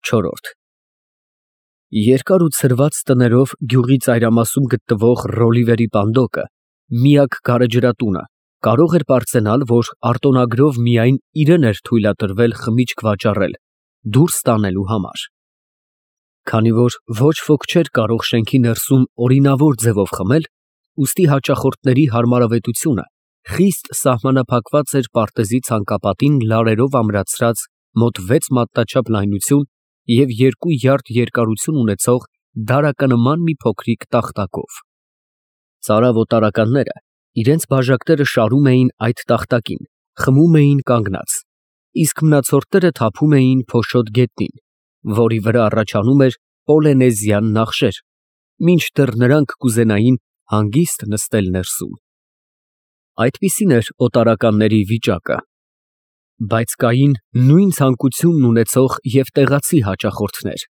Չորրորդ Երկար ու ցրված տներով գյուղի ծայրամասում գտնվող Ռոլիվերի պանդոկը, միակ գարեջրատունը, կարող էր պարծենալ, որ արտոնագրով միայն իրան էր թույլատրվել խմիչք վաճառել, դուրս տանելու համար։ Քանի որ ոչ ոք չէր կարող շենքի ներսում օրինավոր ձևով խմել, ուստի հաճախորդների հարմարավետությունը խիստ սահմանափակված էր պարտեզի ցանկապատին լարերով ամրացրած մոտ 6 մատնաչափ լայնություն և 2 յարդ երկարություն ունեցող դարականման մի փոքրիկ տախտակով։ Ծարավ օտարականները իրենց բաժակները շարում էին այդ տախտակին, խմում էին կանգնած, իսկ մնացորդները թափում էին փոշոտ գետնին, որի վրա առաջանում էր պոլինեզիան նախշեր, մինչդեռ նրանք կուզենային հանգիստ նստել ներսում։ Այդպիսին էր օտարականների վիճակը։ Բայց կային նույն ցանկությունն ունեցող և տեղացի հաճախորդներ,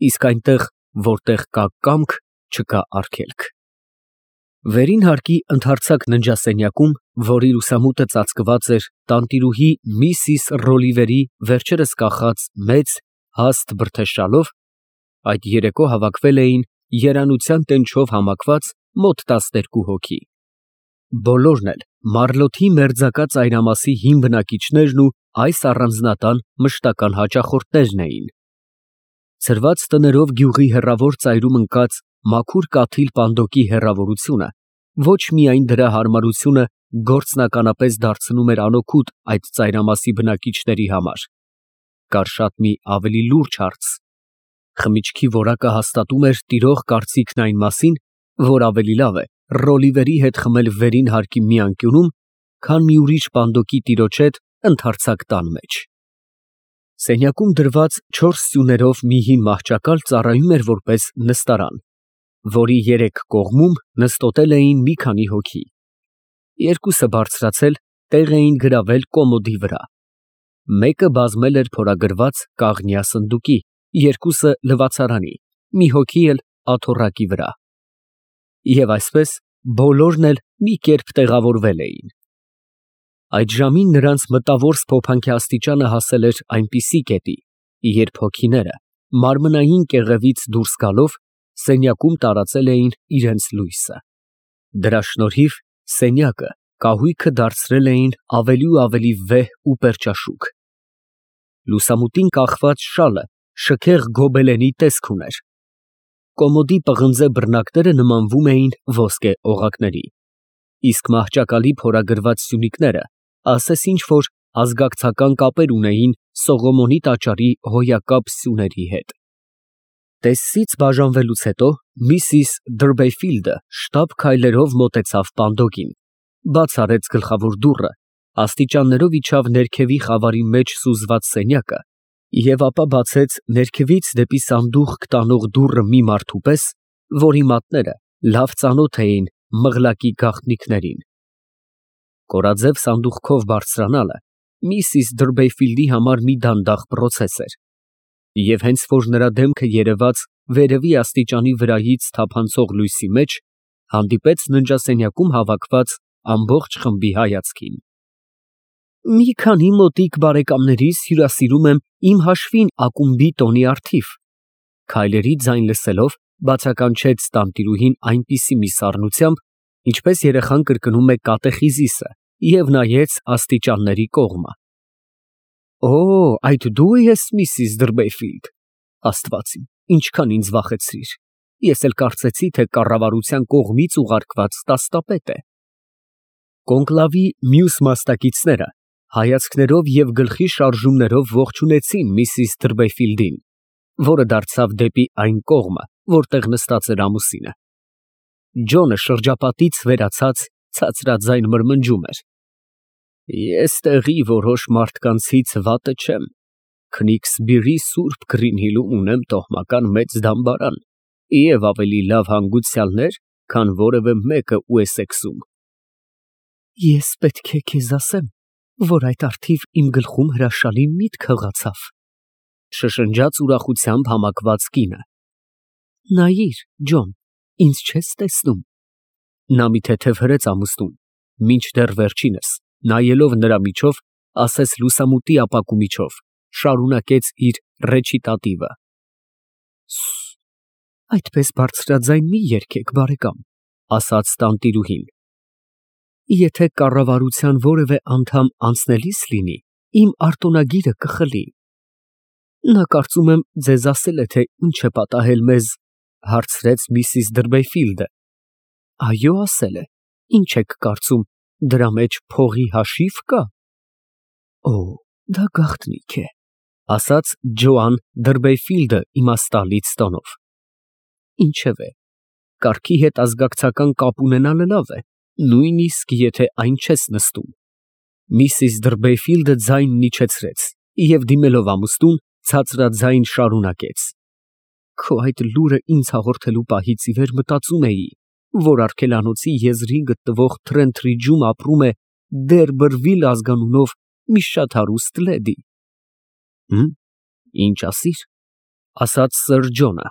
իսկ այնտեղ, որտեղ կա կամք, չկա արգելք։ Վերին հարկի ընդարձակ ննջասենյակում, որի լուսամուտը ծածկված էր տանտիրուհի Միսիս Ռոլիվերի վերջերս կախած մեծ, հաստ բրդեշալով, այդ երեկո հավաքվել էին երանության տենչով համակված մոտ 12 հոգի։ Բոլորն էլ Մարլոթի մերձակա ծայրամասի հին բնակիչներն ու այս առանձնատան մշտական հաճախորդներն էին։ Ցրված տներով գյուղի հեռավոր ծայրում ընկած մաքուր կաթիլ պանդոկի հեռավորությունը ոչ միայն դրա հարմարությունը գործնականապես դարձնում էր անօգուտ այդ ծայրամասի բնակիչների համար, կար շատ մի ավելի լուրջ հարց։ Խմիչքի որակը հաստատում էր տիրող կարծիքն այն մասին, որ ավելի լավ է Ռոլիվերի հետ խմել վերին հարկի մի անկյունում, քան մի ուրիշ պանդոկի տիրոջ հետ ընդարձակ տան մեջ։ Սենյակում դրված 4 սյուներով մի հին մահճակալ ծառայում էր որպես նստարան, որի 3 կողմում նստոտել էին մի քանի հոգի։ Երկուսը բարձրացել տեղ էին գրավել կոմոդի վրա։ Մեկը բազմել էր փորագրված կաղնյա սնդուկի, երկուսը լվացարանի, մի հոգի էլ աթոռակի վրա։ Եվ այսպես բոլորն էլ մի կերպ տեղավորվել էին։ Այդ ժամին նրանց մտավոր սփոփանքի աստիճանը հասել էր այնպիսի կետի, երբ հոգիները մարմնային կեղևից դուրս գալով սենյակում տարածել էին իրենց լույսը։ Դրա շնորհիվ սենյակը կահույքը դարձրել էին ավելի ու ավելի վեհ ու պերճաշուք։ Լուսամուտին կախված շալը շքեղ գոբելենի տեսք ուներ։ Կոմոդի պղնձե բռնակները նմանվում էին ոսկե օղակների, իսկ մահճակալի փորագրված սյունիկները ասես ինչ֊որ ազգակցական կապեր ունեին Սողոմոնի տաճարի հոյակապ սյուների հետ։ Տեսից բաժանվելուց հետո Միսիս Դրբեֆիլդը շտապ քայլերով մոտեցավ պանդոկին, բաց արեց գլխավոր դուռը, աստիճաններով իջավ ներքևի խավարի մեջ սուզված սենյակը և ապա բացեց ներքևից դեպի սանդուղք տանող դուռը մի մարդու պես, որի մատները լավ ծանոթ էին մղլակի գաղտնիքներին։ Կորաձև սանդուղքով բարձրանալը Միսիս Դրբեֆիլդի համար մի դանդաղ պրոցես էր, և հենց որ նրա դեմքը երևաց վերևի աստիճանի վրայից թափանցող լույսի մեջ, հանդիպեց ննջասենյակում հավաքված ամբողջ խմբի հայացքին։ «Մի քանի մոտիկ բարեկամներիս հյուրասիրում եմ իմ հաշվին ակումբի տոնի առթիվ», քայլերի ձայն լսելով բացականչեց տանտիրուհին այնպիսի մի սառնությամբ, ինչպես երեխան կրկնում է կատեխիզիսը, և նայեց աստիճանների կողմը։ «Օ, այդ դու ես, Միսիս Դրբեֆիլդ, Աստված իմ, ինչքան ինձ վախեցրիր, ես էլ կարծեցի, թե կառավարության կողմից ուղարկված տաստապետ է»։ Կոնկլավի մյուս մասնակիցները հայացքներով և գլխի շարժումներով ողջունեցին Միսիս Դրբեֆիլդին, որը դարձավ դեպի այն կողմը, որտեղ նստած էր ամուսինը։ Ջոնը շրջապատից վերացած ցածրաձայն մրմնջում էր. «Ես տեղի որոշ մարդկանցից վատը չեմ, Քնիքսբիրի Սուրբ Գրինհիլում ունեմ տոհմական մեծ դամբարան և ավելի լավ հանգուցյալներ, քան որևէ մեկը Ուեսեքսում»։ «Ես պետք է քեզ ասեմ, որ այդ առթիվ իմ գլխում հրաշալի միտք հղացավ», շշնջաց ուրախությամբ համակված կինը։ «Նայիր, Ջոն, ինձ չես տեսնում»։ Նա մի թեթև հրեց ամուսնուն, մինչդեռ վերջինս, նայելով նրա միջով, ասես լուսամուտի ապակու միջով. շարունակեց իր ռեչիտատիվը։ Այդպես բարձրաձայն մի երգեք, բարեկամ, ասաց տանտիրուհին։ Եթե կառավարության որևէ անդամ անցնելիս լինի, իմ արտոնագիրը կխլի։ Նա կարծում եմ ձեզ ասել է, թե ինչ է պատահել մեզ, հարցրեց միսիս Դրբեֆիլդը։ Այո, ասել է։ Ինչ եք կարծում, դրա մեջ փողի հաշիվ կա։ Օ, դա գաղտնիք է, ասաց Ջոան Դրբեֆիլդը իմաստալից տոնով։ Ինչևէ, կարգի հետ ազգակցական կապ ունենալը լավ է, նույնիսկ եթե այն չես նստում։ Միսիս Դրբեֆիլդը ձայնն իջեցրեց և դիմելով ամուսնուն ցածրաձայն շարունակեց. Քո այդ լուրը ինձ հաղորդելու պահից ի վեր մտածում էի, որ արգելանոցի եզրին գտնվող Թրենթրիջում ապրում է Դերբրվիլ ազգանունով մի շատ հարուստ լեդի։ Ինչ ասիր, ասաց Սըր Ջոնը։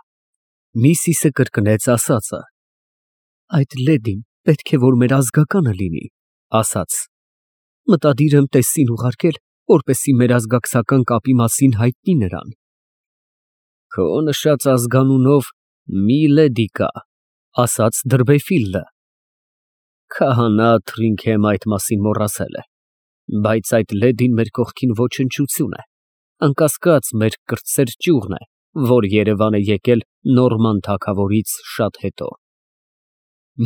Միսիսը կրկնեց ասածը։ Այդ լեդին պետք է որ մեր ազգականը լինի, ասաց։ Մտադիր եմ տեսին ուղարկել, որպեսզի մեր ազգակցական կապի մասին հայտնի նրան։ Քո նշած ազգանունով մի լեդի կա, ասաց Դրբեֆիլդը։ Քահանա Թրինքեմ այդ մասին մոռացել է, բայց այդ լեդին մեր կողքին ոչնչություն է, անկասկած մեր կրտսեր ճյուղն է, որ Երևան է եկել Նորման թագավորից շատ հետո։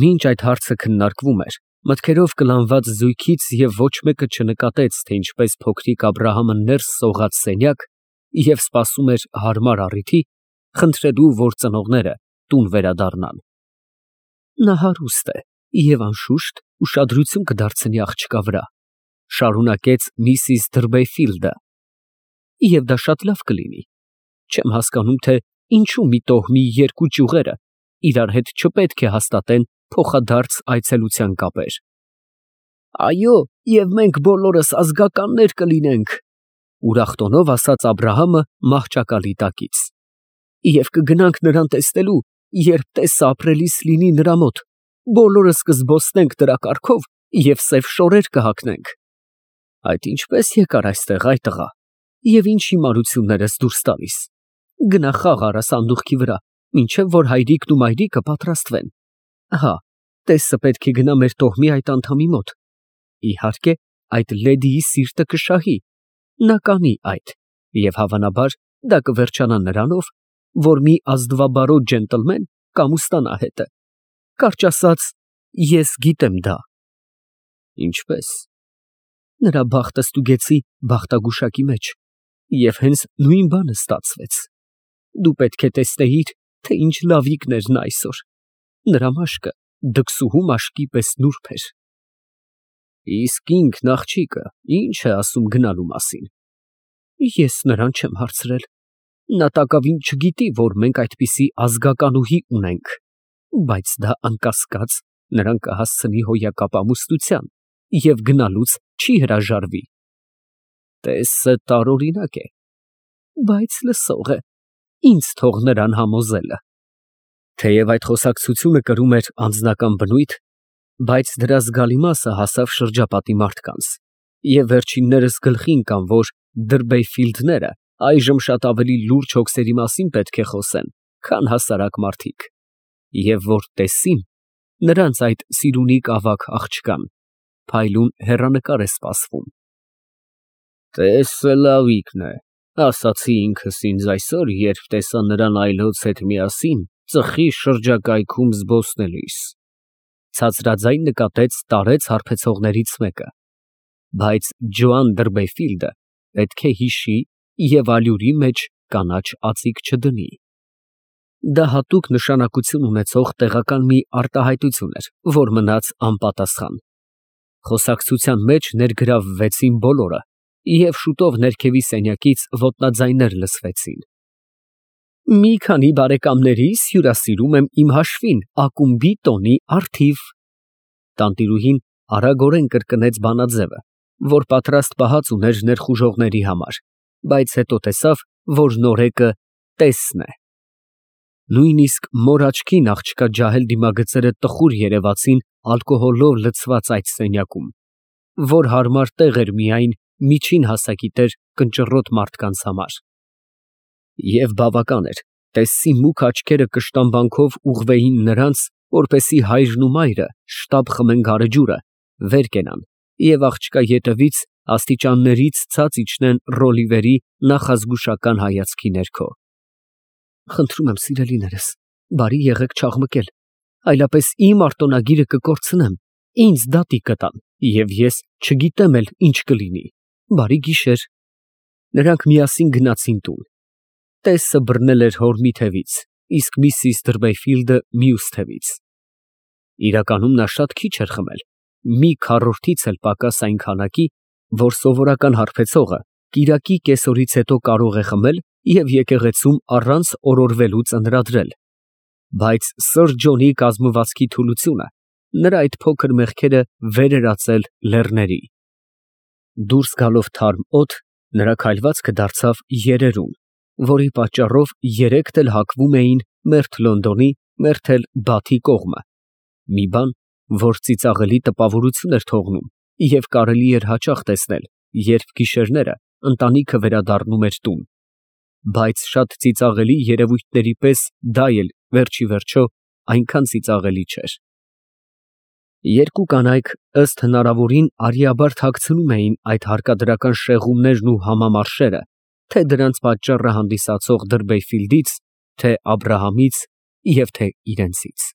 Մինչ այդ հարցը քննարկվում էր, մտքերով կլանված զույգից և ոչ մեկը չնկատեց, թե ինչպես փոքրիկ Աբրահամը ներս սողաց սենյակ և սպասում էր հարմար առիթի, խնդրելու, որ ծնողները տուն վերադառնան։ Նա հարուստ է և անշուշտ ուշադրություն կդարձնի աղջկա վրա, շարունակեց միսիս Դրբեֆիլդը։ Եվ դա շատ լավ կլինի։ Չեմ հասկանում, թե ինչու մի տոհմի երկու ճյուղերը իրար հետ չպետք է հաստատեն փոխադարձ այցելության կապեր։ Այո, և մենք բոլորս ազգականներ կլինենք, ուրախ տոնով ասաց Աբրահամը մահճակալի տակից։ Եվ կգնանք նրան տեսնելու, երբ տեսը ապրելիս լինի նրա մոտ, բոլորս կզբոսնենք նրա կառքով և սև շորեր կհագնենք։ Այդ ինչպես եկար այստեղ, այ տղա, և ինչ հիմարություններ ես դուրս տալիս։ Գնա խաղ արա սանդուղքի վրա, մինչև որ հայրիկն ու մայրիկը պատրաստվեն։ Ահա, տեսը պետք է գնա մեր տոհմի այդ անդամի մոտ։ Իհարկե, այդ լեդիի սիրտը կշահի, նա կանի այդ, և հավանաբար դա կվերջանա նրանով, որ մի ազնվաբարո ջենտլմեն կամուստանա հետը։ Կարճ ասած, ես գիտեմ դա։ Ինչպես։ Նրա բախտը ստուգեցի բախտագուշակի մեջ, և հենց նույն բանը ստացվեց։ Դու պետք է տեսնեիր, թե ինչ լավիկն էր նա այսօր։ Նրա մաշկը դքսուհու մաշկի պես նուրբ էր։ Իսկ ինքն աղջիկը ինչ է ասում գնալու մասին։ Ես նրան չեմ հարցրել։ Նա տակավին չգիտի, որ մենք այդպիսի ազգականուհի ունենք, բայց դա անկասկած նրան կհասցնի հոյակապ ամուսնության և գնալուց չի հրաժարվի։ Տեսը տարօրինակ է, բայց լսող է, ինձ թող նրան համոզելը։ Թեև այդ խոսակցությունը կրում էր անձնական բնույթ, բայց դրա զգալի մասը հասավ շրջապատի մարդկանց, և վերջիններս գլխի ընկան, որ Դրբեֆիլդները այժմ շատ ավելի լուրջ հոգսերի մասին պետք է խոսեն, քան հասարակ մարդիկ, և որ տեսին նրանց այդ սիրունիկ ավագ աղջկան, փայլուն հեռանկար է սպասվում։ Տեսը լավիկն է, ասացի ինքս ինձ այսօր, երբ տեսա նրան այլոց հետ միասին ծխի շրջակայքում զբոսնելիս, ցածրաձայն նկատեց տարեց հարբեցողներից մեկը, բայց Ջոան Դրբեֆիլդը պետք է հիշի և ալյուրի մեջ կանաչ ածիկ չդնի։ Դա հատուկ նշանակություն ունեցող տեղական մի արտահայտություն էր, որ մնաց անպատասխան։ Խոսակցության մեջ ներգրավվեցին բոլորը, և շուտով ներքևի սենյակից ոտնաձայներ լսվեցին։ Մի քանի բարեկամներիս հյուրասիրում եմ իմ հաշվին ակումբի տոնի առթիվ։ Տանտիրուհին արագորեն կրկնեց բանաձևը, որ պատրաստ պահած ուներ ներխուժողների համար, բայց հետո տեսավ, որ նորեկը տեսն է։ Նույնիսկ մոր աչքին աղջկա ջահել դիմագծերը տխուր երևացին ալկոհոլով լցված այդ սենյակում, որ հարմար տեղ էր միայն միջին հասակի տեր կնճռոտ մարդկանց համար։ Եվ բավական էր, տեսնի մուգ աչքերը կշտամբանքով ուղղվեին նրանց, որպեսզի հայրն ու մայրը շտապ խմեն գարեջուրը, վեր կենան և աղջկա ետևից աստիճաններից ցած իջնեն Ռոլիվերի նախազգուշական հայացքի ներքո։ Խնդրում եմ, սիրելիներս, բարի եղեք չաղմկել, այլապես իմ արտոնագիրը կկորցնեմ, ինձ դատի կտան, և ես չգիտեմ էլ ինչ կլինի։ Բարի գիշեր։ Նրանք միասին գնացին տուն։ Տեսը բռնել էր հոր մի թևից, իսկ միսիս Դրբեֆիլդը մյուս թևից։ Իրականում նա շատ քիչ էր խմել, մի քառորդից էլ պակաս այն քանակի, որ սովորական հարբեցողը կիրակի կեսօրից հետո կարող է խմել և եկեղեցում առանց օրորվելու ծնրադրել, բայց սըր Ջոնի կազմվածքի թուլությունը նրա այդ փոքր մեղքերը վեր էր ածել լեռների։ Դուրս գալով թարմ օդ, նրա քայլվածքը դարձավ երերուն, որի պատճառով երեքդ էլ հակվում էին մերթ Լոնդոնի, մերթ էլ Բաթի կողմը, մի բան, որ ծիծաղելի տպավորություն էր թողնում և կարելի էր հաճախ տեսնել, երբ գիշերները ընտանիքը վերադառնում էր տուն, բայց շատ ծիծաղելի երևույթների պես դա էլ վերջիվերջո այնքան ծիծաղելի չէր։ Երկու կանայք ըստ հնարավորին արիաբար թաքցնում էին այդ հարկադրական շեղումներն ու համամարշերը, թե դրանց պատճառը հանդիսացող Դրբեֆիլդից, թե Աբրահամից և թե իրենցից։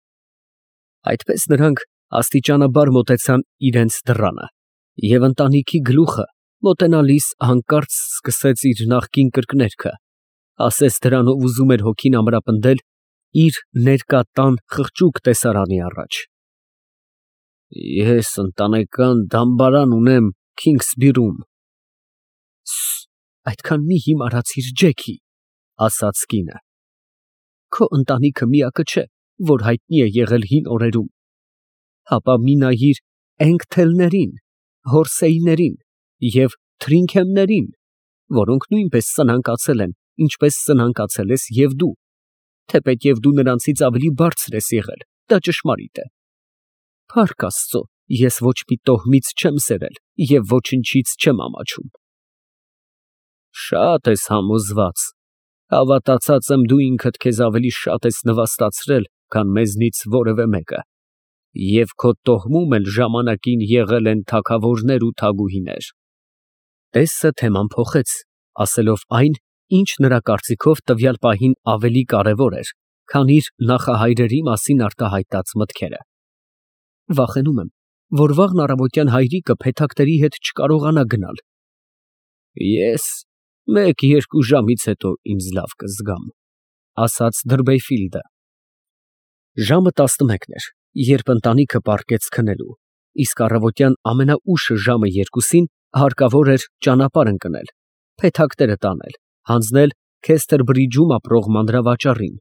Այդպես նրանք աստիճանաբար մոտեցան իրենց դռանը, և ընտանիքի գլուխը մոտենալիս հանկարծ սկսեց իր նախկին կրկներգը, ասես դրանով ուզում էր հոգին ամրապնդել իր ներկա տան խղճուկ տեսարանի առաջ։ Ես ընտանեկան դամբարան ունեմ Քինգսբիրում։ Այդքան մի հիմարացիր, Ջեքի, ասաց կինը։ Քո ընտանիքը միակը չէ, որ հայտնի է եղել հին օրերում, հապա մի նայիր Էնգթելներին, Հորսեյներին և Թրինքեմներին, որոնք նույնպես սնանկացել են, ինչպես սնանկացել ես և դու, թեպետև դու նրանցից ավելի բարձր ես եղել, դա ճշմարիտ է։ Փառք Աստծո, ես ոչ մի տոհմից չեմ սերել և ոչնչից չեմ ամաչում։ Շատ ես համոզված, հավատացած եմ դու ինքդ քեզ ավելի շատ ես նվաստացրել, քան մեզնից որևէ մեկը, և քո տոհմում էլ ժամանակին եղել են թագավորներ ու թագուհիներ։ Տեսը թեման փոխեց, ասելով այն, ինչ նրա կարծիքով տվյալ պահին ավելի կարևոր էր, քան իր նախահայրերի մասին արտահայտած մտքերը։ Վախենում եմ, որ վաղն առավոտյան հայրիկը փեթակների հետ չկարողանա գնալ։ Ես մեկ-երկու ժամից հետո ինձ լավ կզգամ, ասաց Դրբեֆիլդը։ Ժամը 11 էր, երբ ընտանիքը պառկեց քնելու, իսկ առավոտյան ամենաուշը ժամը 2-ին հարկավոր էր ճանապարհ ընկնել, փեթակները տանել, հանձնել Քեսթերբրիջում ապրող մանրավաճառին,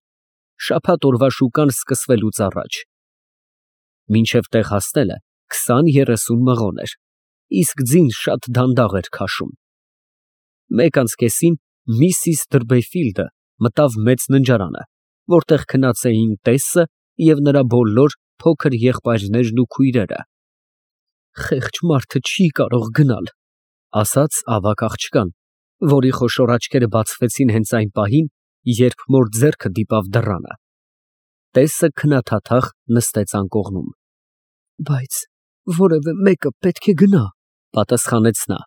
շաբաթ օրվա շուկան սկսվելուց առաջ։ Մինչև տեղ հասնելը 20-30 մղոն էր, իսկ ձին շատ դանդաղ էր քաշում։ 1:30-ին միսիս Դրբեֆիլդը մտավ մեծ ննջարանը, որտեղ քնած էին տեսը և նրա բոլոր փոքր եղբայրներն ու քույրերը։ Խեղճ մարդը չի կարող գնալ, ասաց ավագ աղջկան, որի խոշոր աչքերը բացվեցին հենց այն պահին, երբ մոր ձեռքը դիպավ դռանը։ Տեսը քնաթաթախ նստեց անկողնում։ Բայց որևէ մեկը պետք է գնա, պատասխանեց նա։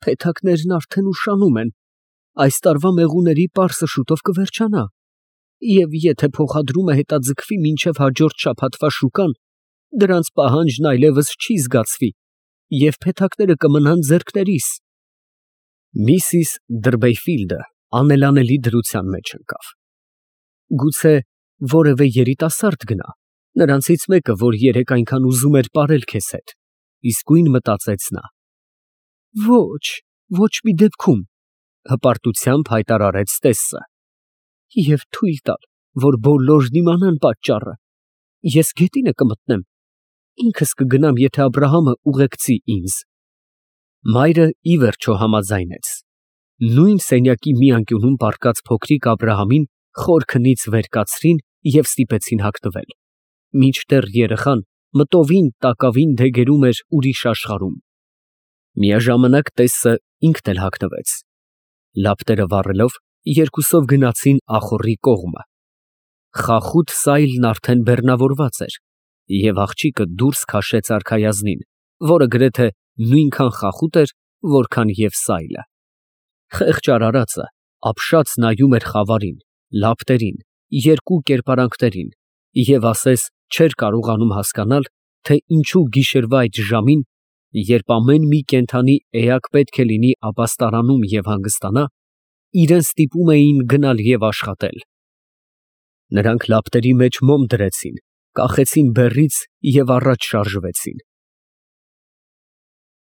Փեթակներն արդեն ուշանում են, այս տարվա մեղուների պարսը շուտով կվերջանա, և եթե փոխադրումը հետաձգվի մինչև հաջորդ շաբաթվա շուկան, դրանց պահանջն այլևս չի զգացվի, և փեթակները կմնան ձեռքներիս։ Միսիս Դրբեֆիլդը անելանելի դրության մեջ ընկավ։ Գուցե որևէ երիտասարդ գնա, նրանցից մեկը, որ երեկ այնքան ուզում էր պարել քեզ հետ, իսկույն մտածեց նա։ Ոչ, ոչ մի դեպքում, հպարտությամբ հայտարարեց տեսը։ Եվ թույլ տալ, որ բոլորն իմանան պատճառը, ես գետինը կմտնեմ, ինքս կգնամ, եթե Աբրահամը ուղեկցի ինձ։ Մայրը ի վերջո համաձայնեց։ Նույն սենյակի մի անկյունում պառկած փոքրիկ Աբրահամին խոր քնից վեր կացրին և ստիպեցին հագնվել, մինչդեռ երեխան մտովին տակավին դեգերում էր ուրիշ աշխարհում։ Միաժամանակ տեսը ինքն էլ հագնվեց։ Լապտերը վառելով, երկուսով գնացին ախոռի կողմը։ Խախուտ սայլն արդեն բեռնավորված էր, և աղջիկը դուրս քաշեց արքայազնին, որը գրեթե նույնքան խախուտ էր, որքան և սայլը։ Խեղճ արարածը ապշած նայում էր խավարին, լապտերին, երկու կերպարանքներին և ասես չէր կարողանում հասկանալ, թե ինչու գիշերվա այդ ժամին, երբ ամեն մի կենդանի էակ պետք է լինի ապաստարանում և հանգստանա, իրան ստիպում էին գնալ և աշխատել։ Նրանք լապտերի մեջ մոմ դրեցին, կախեցին բեռից և առաջ շարժվեցին։